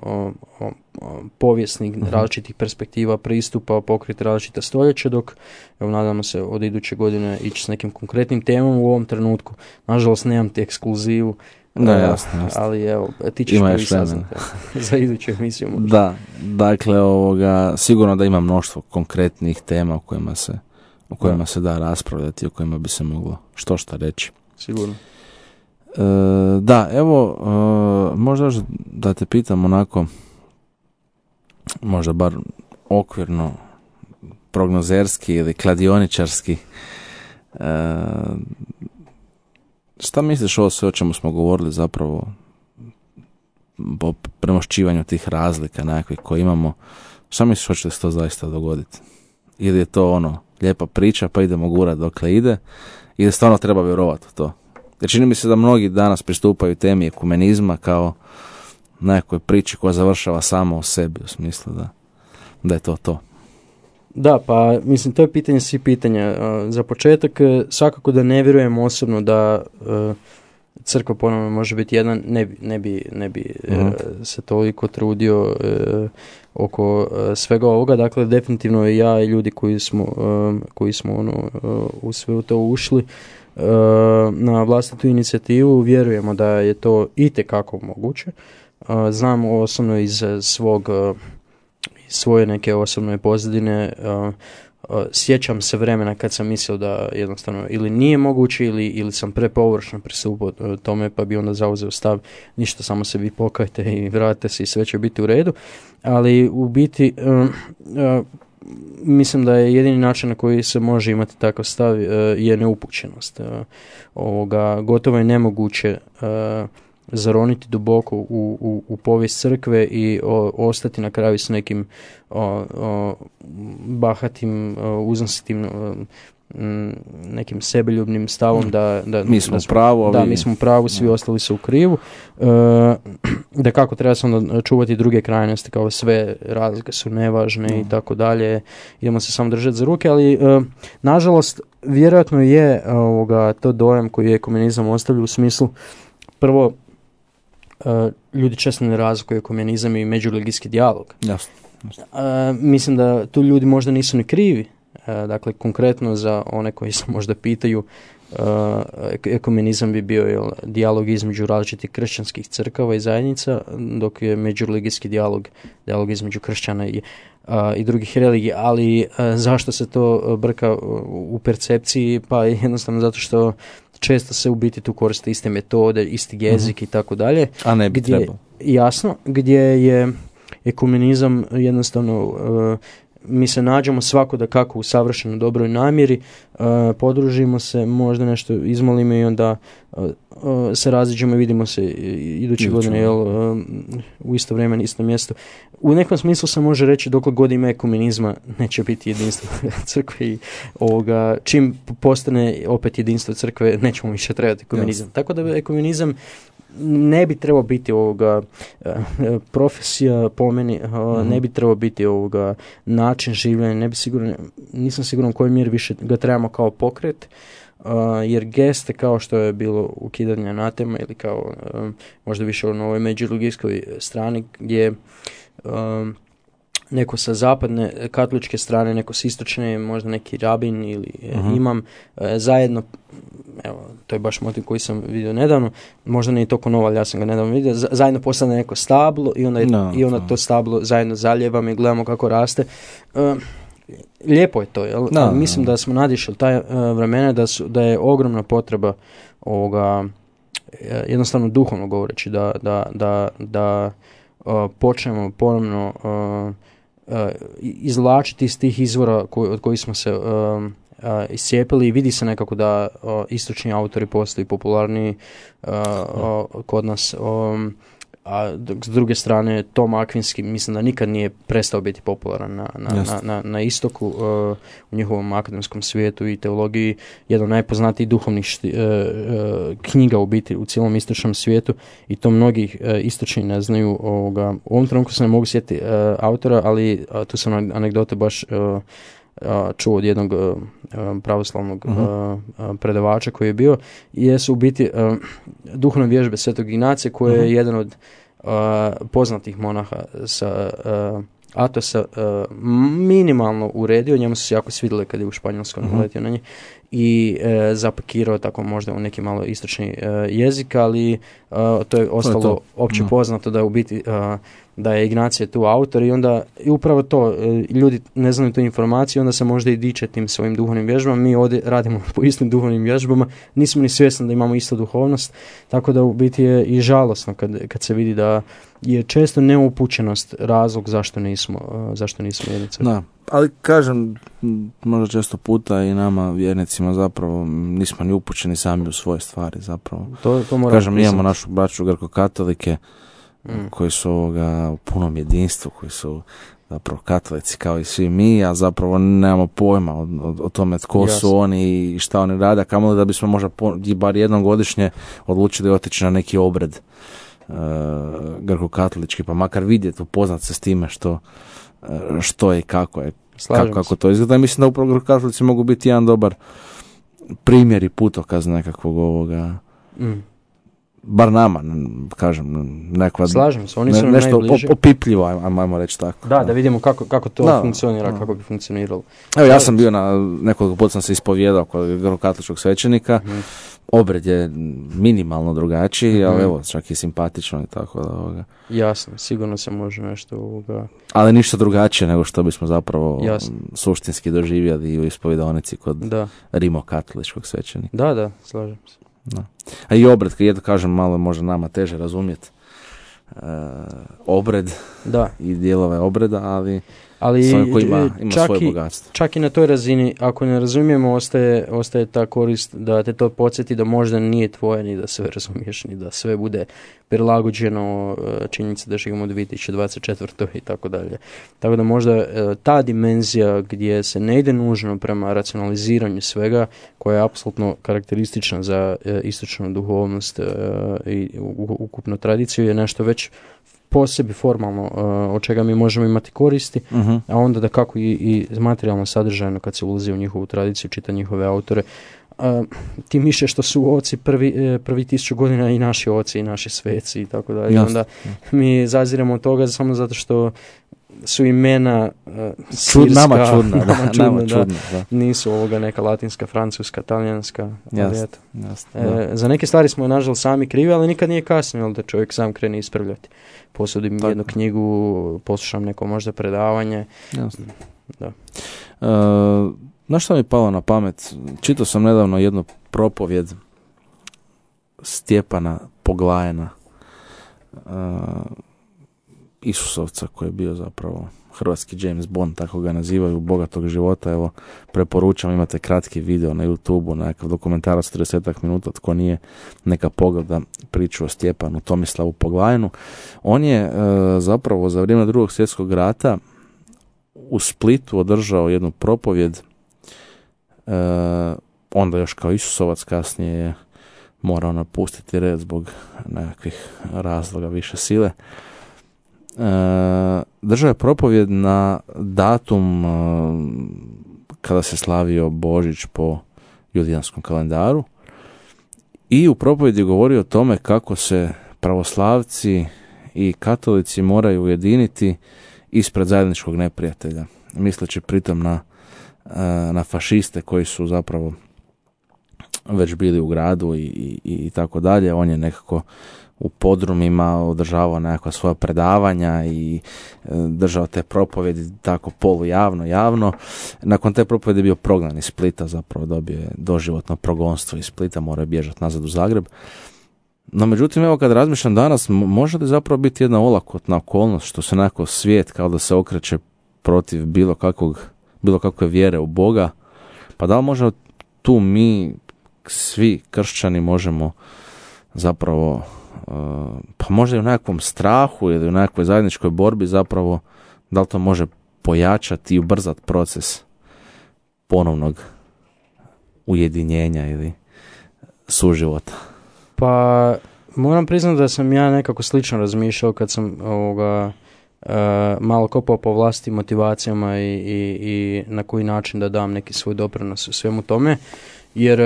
povijesnih različitih perspektiva, pristupa, pokriti različita stoljeća, dok nadamo se od iduće godine ići s nekim konkretnim temom. U ovom trenutku nažalost nemam ti ekskluzivu, da, jasno. Ali evo, ti ćeš prvi saznati za iduću emisiju. Možda. Da, dakle, sigurno da ima mnoštvo konkretnih tema o kojima se da raspravljati, o kojima bi se moglo što reći. Sigurno. Da, evo, možda da te pitam onako, možda bar okvirno, prognozerski ili kladioničarski, šta misliš o sve o čemu smo govorili zapravo o premošćivanju tih razlika nekakvih koje imamo, šta misliš hoće se to zaista dogoditi? Ili je to lijepa priča pa idemo gurat dokle ide, ili stvarno treba vjerovati u to? Jer čini mi se da mnogi danas pristupaju temi ekumenizma kao nekoj priči koja završava samo u sebi, u smislu da je to. Da, pa mislim to je pitanje svih pitanja. Za početak svakako da ne vjerujem osobno da crkva ponovno može biti jedan, ne bi se toliko trudio oko svega ovoga. Dakle, definitivno i ja i ljudi koji smo u sve to ušli na vlastitu inicijativu vjerujemo da je to itekako moguće. Znam osobno iz svoje neke osobne pozadine, sjećam se vremena kad sam mislio da jednostavno ili nije moguće ili sam prepovršno pristupio tome, pa bi onda zauzeo stav ništa, samo se vi pokajte i vratite se i sve će biti u redu. Ali u biti mislim da je jedini način na koji se može imati takav stav je neupućenost. Gotovo je nemoguće zaroniti duboko u povijest crkve i ostati na kraju s nekim bahatim, uznositim, nekim sebeljubnim stavom da mi smo u pravu, mi smo u pravu, svi ostali su u krivu. Da kako treba se onda čuvati druge krajnosti, kao sve razlike su nevažne i tako dalje. Idemo se samo držati za ruke, ali nažalost vjerojatno je to dojam koji je ekumenizam ostavlja u smislu prvo ljudi često ne razlikuju ekumenizam i međureligijski dijalog. Jasno. Mislim da tu ljudi možda nisu ni krivi. Dakle, konkretno za one koji se možda pitaju, ekumenizam bi bio dijalog između različitih kršćanskih crkava i zajednica, dok je međureligijski dijalog između kršćana i drugih religija. Ali zašto se to brka u percepciji? Pa jednostavno zato što često se u biti tu koriste iste metode, isti jezik i tako dalje. A ne bi trebalo. Jasno, gdje je ekumenizam jednostavno mi se nađemo svako da kako u savršeno dobroj namjeri, podružimo se, možda nešto izmolimo i onda se raziđemo i vidimo se iduće godine u isto vrijeme na isto mjesto. U nekom smislu se može reći dok god ima ekumenizma neće biti jedinstvo crkve i čim postane opet jedinstvo crkve nećemo više trebati ekumenizam. Tako da ekumenizam ne bi trebao biti profesija po meni, ne bi trebao biti način življenja, nisam siguran u kojoj mjeri više ga trebamo kao pokret, jer geste kao što je bilo ukidanje anatema ili kao možda više na ovoj međureligijskoj strani gdje neko sa zapadne katoličke strane, neko s istočne, možda neki rabin ili imam, zajedno, evo, to je baš motiv koji sam vidio nedavno, možda nije toliko novo, ali ja sam ga nedavno vidio, zajedno postane neko stablo i onda to stablo zajedno zaljevamo i gledamo kako raste. Lijepo je to, jel? Mislim da smo nadišli taj vremena, da je ogromna potreba jednostavno duhovno govoreći, da počnemo ponovno izvlačiti iz tih izvora od kojih smo se iscijepili i vidi se nekako da istočni autori postaju popularniji kod nas. A s druge strane, Tom Akvinski mislim da nikad nije prestao biti popularan na istoku, u njihovom akademskom svijetu i teologiji, jedan od najpoznatijih duhovnih knjiga u biti u cijelom istočnom svijetu i to mnogi istočni ne znaju. U ovom trenutku se ne mogu sjetiti autora, ali tu sam anegdote baš čuo od jednog pravoslavnog predavača koji je bio, jesu u biti duhovne vježbe Svetog Ignacija, koje je jedan od poznatih monaha sa Atosa minimalno uredio, njemu su se jako svidjeli kad je u Španjolskom naletio na njih i zapakirao tako možda u neki malo istočni jezik, ali to je ostalo opće poznato da u biti da je Ignacije tu autor i onda i upravo to, ljudi ne znaju tu informaciju, onda se možda i diče tim svojim duhovnim vježbama. Mi ovdje radimo po istim duhovnim vježbama, nismo ni svjesni da imamo istu duhovnost, tako da u biti je i žalosno kad se vidi da je često neupućenost razlog zašto nismo jedni crkve. Da, ali kažem, možda često puta i nama vjernicima zapravo nismo ni upućeni sami u svoje stvari zapravo. To moramo kažem, imamo našu braću grko-katolike koji su u punom jedinstvu, koji su zapravo katolici kao i svi mi, a zapravo nemamo pojma o tome tko su oni i šta oni rade, kamoli da bismo možda bar jednom godišnje odlučili otići na neki obred grko-katolički, pa makar vidjeti, upoznat se s time što je i kako je, kako to izgleda. Mislim da upravo grko-katolici mogu biti jedan dobar primjer i putokaz nekakvog ovoga bar nama, kažem, nekva, slažem se, oni su nešto najbliže. Opipljivo, ajmo reći tako. Da vidimo kako to funkcionira, kako bi funkcioniralo. Evo, ja sam bio nekoliko puta sam se ispovjedao kod grko-katoličkog svećenika, obred je minimalno drugačiji, ali evo, čak i simpatično i tako da Jasno, sigurno se može nešto ali ništa drugačije nego što bismo zapravo suštinski doživjeli u ispovjedonici kod rimokatoličkog svećenika. Da, slažem se. Da. A i obred, kad kažem, malo može nama teže razumjeti obred i dijelove obreda, ali Ali ima svoje bogatstvo. Čak i na toj razini, ako ne razumijemo, ostaje ta korist da te to podsjeti da možda nije tvoje, ni da sve razumiješ, ni da sve bude prilagođeno činjenici da živimo u 2024. i tako dalje. Tako da možda ta dimenzija gdje se ne ide nužno prema racionaliziranju svega, koja je apsolutno karakteristična za istočnu duhovnost i ukupnu tradiciju, je nešto već posebi formalno od čega mi možemo imati koristi, a onda da kako i materijalno sadržajno kad se ulazi u njihovu tradiciju, čita njihove autore, tim više što su oci prvi 1000 godina i naši oci i naši sveci i tako dalje. Onda mi zaziremo od toga samo zato što su imena sirska, nama čudna, da. Nisu ovoga neka latinska, francuska, talijanska. Za neke stvari smo nažalost sami krivi, ali nikad nije kasno da čovjek sam krene ispravljati. Posudim jednu knjigu, poslušam neko možda predavanje. Jasno. Da. Znaš što mi je palo na pamet? Čitao sam nedavno jednu propovjed Stjepana Poglajena, Isusovca, koji je bio zapravo hrvatski James Bond, tako ga nazivaju, bogatog života. Evo, preporučam, imate kratki video na YouTubeu, nekakav dokumentarac 30 minuta, tko nije, neka pogleda priču o Stjepanu Tomislavu Poglajenu. On je zapravo za vrijeme Drugog svjetskog rata u Splitu održao jednu propovjed, onda još kao Isusovac, kasnije je morao napustiti red zbog nekakvih razloga više sile. Držao je propovjed na datum kada se slavio Božić po julijanskom kalendaru i u propovjedi govorio o tome kako se pravoslavci i katolici moraju ujediniti ispred zajedničkog neprijatelja, misleći pritom na fašiste koji su zapravo već bili u gradu i tako dalje. On je nekako u podrumima održavao nekakva svoja predavanja i držao te propovjedi tako javno. Nakon te propovjedi je bio prognan iz Splita, zapravo dobio je doživotno progonstvo iz Splita, mora bježati nazad u Zagreb. No međutim, evo kad razmišljam danas, može li zapravo biti jedna olakotna okolnost što se nekako svijet kao da se okreće protiv bilo kakve vjere u Boga, pa da li možda tu mi svi kršćani možemo zapravo pa možda i u nekakvom strahu ili u nekakvoj zajedničkoj borbi zapravo, da li to može pojačati i ubrzati proces ponovnog ujedinjenja ili suživota? Pa moram priznati da sam ja nekako slično razmišljao kad sam malo kopao po vlastitim motivacijama i na koji način da dam neki svoj doprinos u svemu tome, jer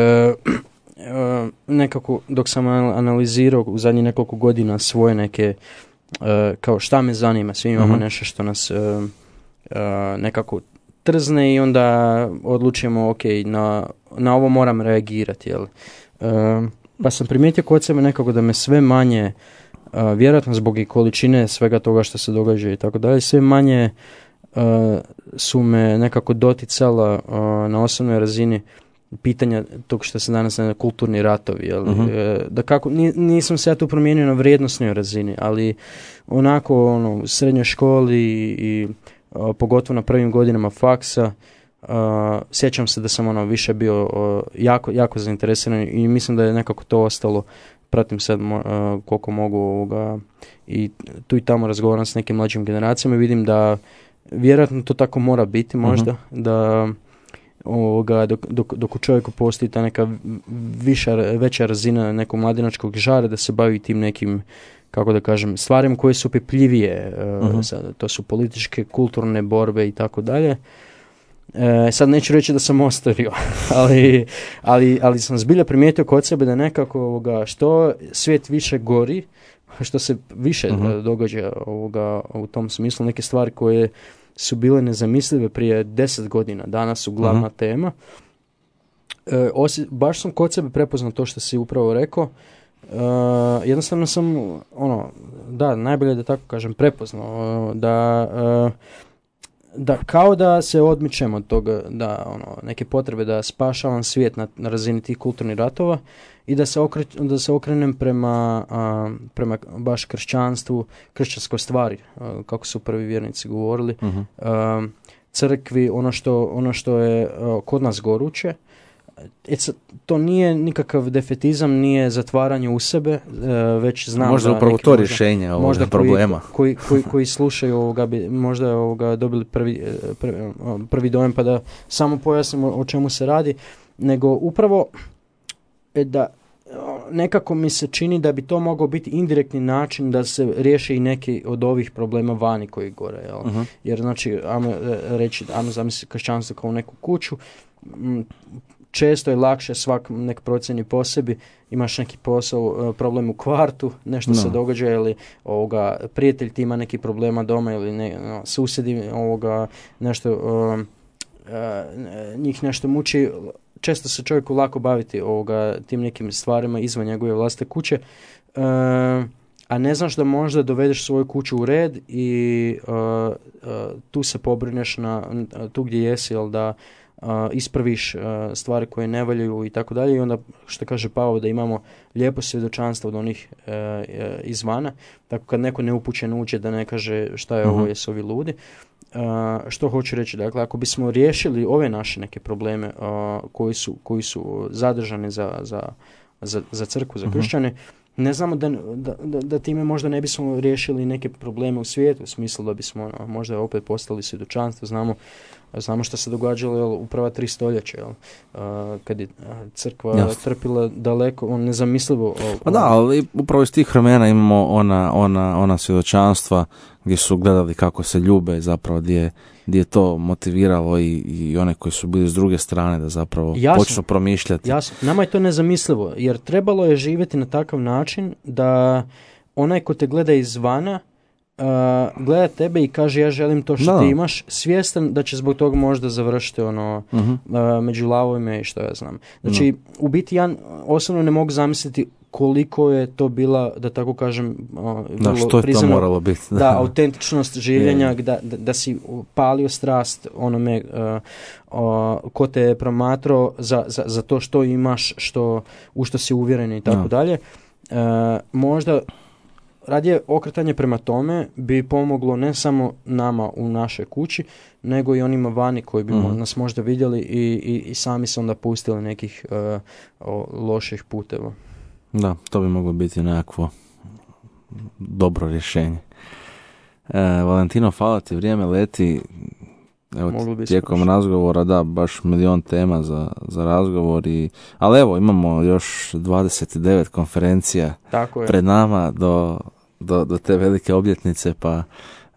nekako dok sam analizirao u zadnjih nekoliko godina svoje neke, kao šta me zanima, svi imamo nešto što nas nekako trzne i onda odlučujemo ok, na ovo moram reagirati, jel? Pa sam primijetio kod sebe nekako da me sve manje, vjerojatno zbog i količine svega toga što se događa i tako dalje, sve manje su me nekako doticala na osobnoj razini pitanja tog što se danas na kulturni ratovi, jel? Da kako, nisam se ja tu promijenio na vrijednosnoj razini, ali onako u srednjoj školi i pogotovo na prvim godinama faksa, sjećam se da sam više bio jako zainteresiran i mislim da je nekako to ostalo. Pratim sad koliko mogu i tu i tamo razgovaram s nekim mlađim generacijama i vidim da vjerojatno to tako mora biti možda, da dok u čovjeku postoji ta neka veća razina nekog mladinačkog žara da se bavi tim nekim, kako da kažem, stvarima koje su opipljivije, to su političke, kulturne borbe i tako dalje. Sad neću reći da sam ostavio, ali sam zbilja primijetio kod sebe da nekako što svijet više gori, što se više događa u tom smislu, neke stvari koje su bile nezamislive prije 10 godina, danas su glavna tema. Baš sam kod sebe prepoznao to što si upravo rekao. Jednostavno sam, najbolje da tako kažem, prepoznao da da kao da se odmičemo od toga, da neke potrebe da spašavam svijet na razini tih kulturnih ratova i da se okrenem prema baš kršćanstvu, kršćanskoj stvari, kako su prvi vjernici govorili, crkvi, ono što je kod nas goruće. To nije nikakav defetizam, nije zatvaranje u sebe, već znam možda da upravo to rješenje ovoga problema. Koji slušaju bi možda dobili prvi dojam, pa da samo pojasnimo o čemu se radi, nego upravo da nekako mi se čini da bi to mogao biti indirektni način da se riješi i neki od ovih problema vani koji gore. Jel? Jer znači, ajmo zamisliti kršćanstvo kao neku kuću, često je lakše svak nek procjeni po sebi, imaš neki posao, problem u kvartu, nešto se događa ili prijatelj ti ima neki problema doma ili susjedi nešto njih nešto muči. Često se čovjeku lako baviti tim nekim stvarima izvan njegove vlastite kuće, a ne znaš da možda dovedeš svoju kuću u red i tu se pobrineš tu gdje jesi, jel da ispraviš stvari koje ne valjaju i tako dalje. I onda, što kaže Pavao, da imamo lijepo svjedočanstvo od onih izvana, tako kad neko neupućen uđe da ne kaže šta je ovo, jesu ovi ludi. Što hoću reći, dakle, ako bismo riješili ove naše neke probleme koji su zadržani za crkvu, za kršćane, ne znamo da time možda ne bismo riješili neke probleme u svijetu, u smislu da bismo možda opet postali svjedočanstvo. Znamo što se događalo u prva 3 stoljeća, kad je crkva trpila daleko, nezamislivo. Pa da, ali upravo iz tih vremena imamo ona svjedočanstva gdje su gledali kako se ljube, zapravo gdje je to motiviralo i one koji su bili s druge strane da zapravo počnu promišljati. Jasno, nama je to nezamislivo, jer trebalo je živjeti na takav način da onaj ko te gleda izvana gleda tebe i kaže ja želim to što ti imaš, svjestan da će zbog toga možda završiti među lavovima i što ja znam. Znači, u biti ja osobno ne mogu zamisliti koliko je to bila, da tako kažem, što je to moralo biti. Da, autentičnost življenja, da si palio strast onome ko te je promatrao za to što imaš, u što si uvjeren i tako dalje. Možda radije okretanje prema tome bi pomoglo ne samo nama u našoj kući, nego i onima vani koji bi nas možda vidjeli i sami se onda pustili nekih loših puteva. Da, to bi moglo biti nekakvo dobro rješenje. Valentino, hvala ti, vrijeme leti. Evo, tijekom razgovora, da, baš milion tema za razgovor, ali evo, imamo još 29 konferencija pred nama do te velike obljetnice, pa...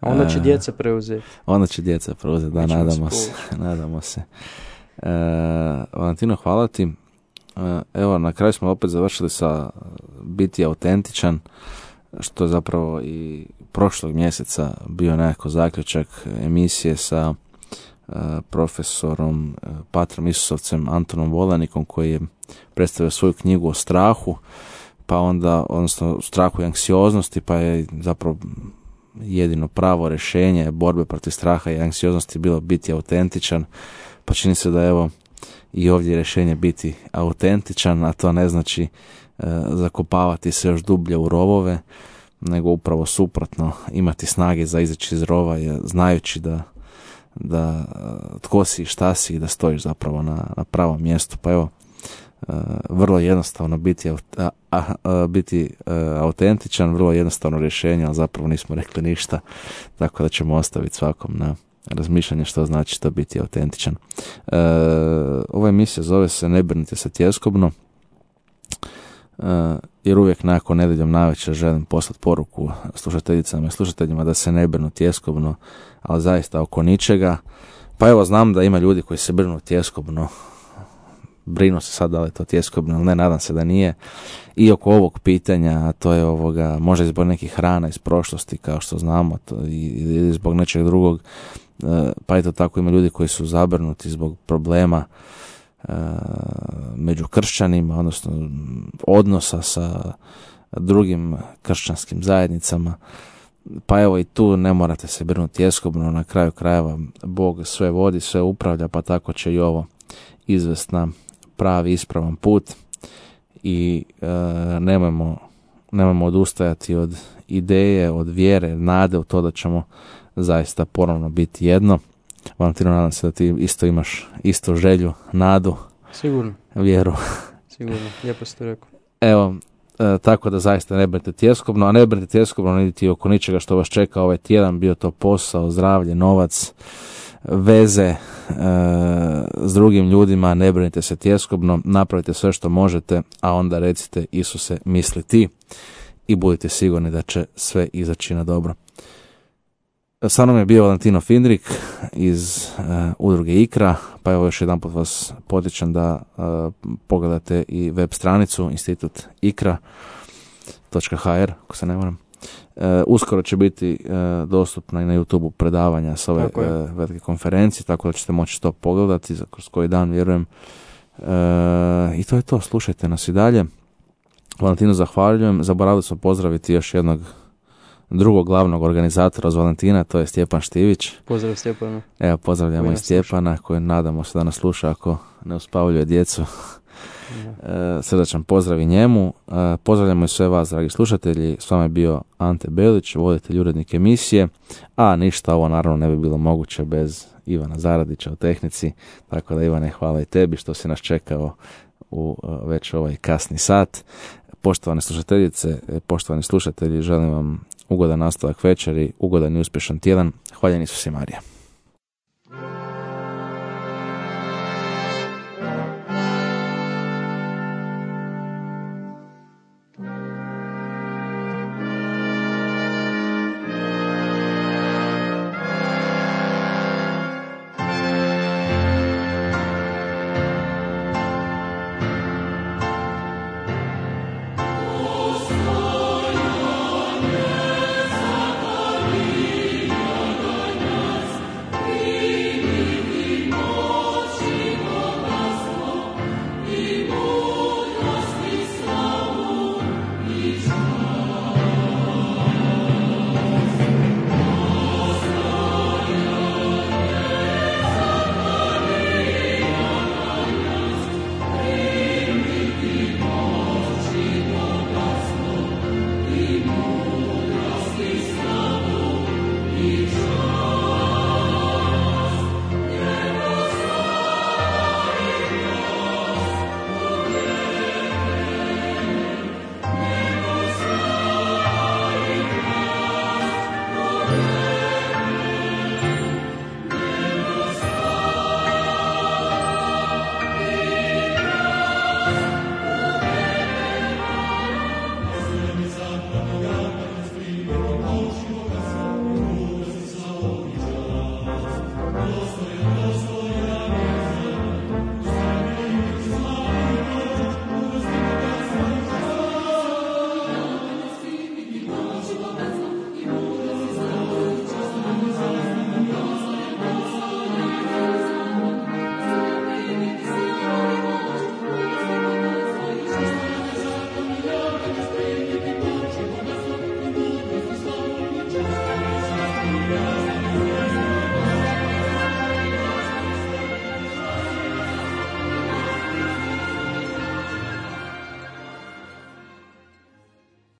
Onda će djeca preuzeti. Da, nadamo se. Valentino, hvala ti. Evo, na kraju smo opet završili sa biti autentičan, što je zapravo i prošlog mjeseca bio nekako zaključak emisije sa profesorom Patrom Isusovcem Antonom Volanikom, koji je predstavio svoju knjigu o strahu, pa onda, odnosno strahu i anksioznosti, pa je zapravo jedino pravo rješenje borbe protiv straha i anksioznosti bilo biti autentičan, pa čini se da evo i ovdje je rješenje biti autentičan, a to ne znači zakopavati se još dublje u rovove, nego upravo suprotno, imati snage za izaći iz rova, znajući da tko si i šta si i da stojiš zapravo na pravom mjestu. Pa evo, vrlo jednostavno biti autentičan, vrlo jednostavno rješenje, ali zapravo nismo rekli ništa, tako da ćemo ostaviti svakom na razmišljanje što znači to biti autentičan. Ova emisija zove se Ne brinite se tjeskobno, jer uvijek nakon nedjeljom navečer želim poslati poruku slušateljicama i slušateljima da se ne brinu tjeskobno, ali zaista oko ničega. Pa evo, znam da ima ljudi koji se brinu tjeskobno, brinu se sad da li je to tjeskobno ili ne, nadam se da nije, i oko ovog pitanja, a to je možda zbog nekih hrana iz prošlosti, kao što znamo, ili zbog nečeg drugog, pa eto tako ima ljudi koji su zabrinuti zbog problema među kršćanima, odnosno odnosa sa drugim kršćanskim zajednicama. Pa evo i tu ne morate se brinuti tjeskobno, na kraju krajeva Bog sve vodi, sve upravlja, pa tako će i ovo izvest na pravi, ispravan put i nemojmo odustajati od ideje, od vjere, nade u to da ćemo zaista ponovno biti jedno. Valentino, nadam se da ti isto imaš istu želju, nadu, Sigurno. Vjeru. Sigurno, lijepo ste rekao. Evo, tako da zaista ne brinite tjeskobno, a ne brinite tjeskobno niti oko ničega što vas čeka ovaj tjedan, bio to posao, zdravlje, novac, veze s drugim ljudima, ne brinite se tjeskobno, napravite sve što možete, a onda recite Isuse, misli ti i budite sigurni da će sve izaći na dobro. Sa mnom je bio Valentino Findrik iz udruge IKRA, pa evo još jedan put vas potičem da pogledate i web stranicu institut ikra.hr, ako se ne varam. Uskoro će biti dostupna i na YouTube predavanja s ove velike konferencije, tako da ćete moći to pogledati kroz koji dan, vjerujem. I to je to, slušajte nas i dalje. Valentinu zahvaljujem, zaboravili smo pozdraviti još jednog drugog glavnog organizatora uz Valentina, to je Stjepan Štivić. Pozdrav Stjepana. Evo, pozdravljamo i Stjepana, koji nadamo se da nas sluša ako ne uspavljuje djecu. Srdačan pozdrav i njemu. Pozdravljamo i sve vas, dragi slušatelji. S vama je bio Ante Belić, voditelj, urednik emisije. A ništa ovo naravno ne bi bilo moguće bez Ivana Zaradića u tehnici. Tako da, Ivane, hvala i tebi što si nas čekao u već ovaj kasni sat. Poštovane slušateljice, poštovani slušatelji, želim vam ugodan nastavak večeri, ugodan i uspješan tjedan. Hvaljen Isus i Marija.